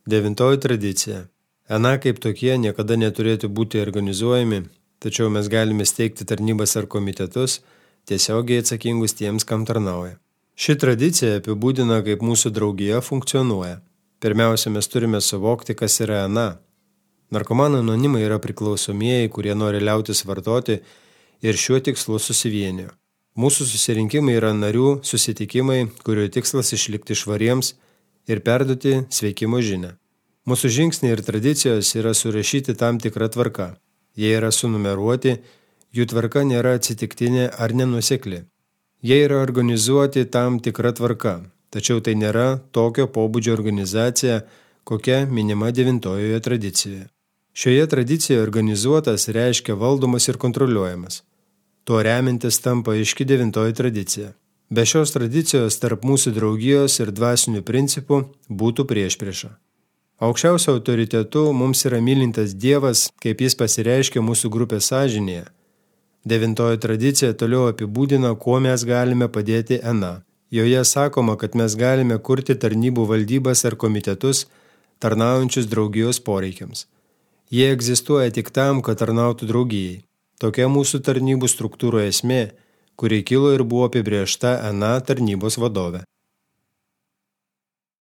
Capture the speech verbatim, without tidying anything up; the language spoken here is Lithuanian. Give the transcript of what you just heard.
Devintoji tradicija. Ena kaip tokie niekada neturėtų būti organizuojami, tačiau mes galime steigti tarnybas ar komitetus, tiesiogiai atsakingus tiems, kam tarnauja. Ši tradicija apibūdina, kaip mūsų draugija funkcionuoja. Pirmiausia, mes turime suvokti, kas yra Ena. Narkomanų anonimai yra priklausomieji, kurie nori liautis vartoti ir šiuo tikslu susivienijo. Mūsų susirinkimai yra narių susitikimai, kurių tikslas išlikti švariems ir perduoti sveikimo žinią. Mūsų žingsniai ir tradicijos yra surašyti tam tikrą tvarką. Jie yra sunumeruoti, jų tvarka nėra atsitiktinė ar nenuosekli. Jie yra organizuoti tam tikrą tvarką, tačiau tai nėra tokio pobūdžio organizacija, kokia minima devintojoje tradicijoje. Šioje tradicijoje organizuotas reiškia valdomas ir kontroliuojamas. Tuo remintis tampa aiški devintoji tradicija. Be šios tradicijos tarp mūsų draugijos ir dvasinių principų būtų priešprieša. Aukščiausio autoritetu mums yra mylintas Dievas, kaip jis pasireiškia mūsų grupės sąžinėje. Devintoji tradicija toliau apibūdina, kuo mes galime padėti Ena. Joje sakoma, kad mes galime kurti tarnybų valdybas ar komitetus, tarnaujančius draugijos poreikiams. Jie egzistuoja tik tam, kad tarnautų draugijai. Tokia mūsų tarnybų struktūrų esmė, kuri kilo ir buvo apibrėžta Ena tarnybos vadove.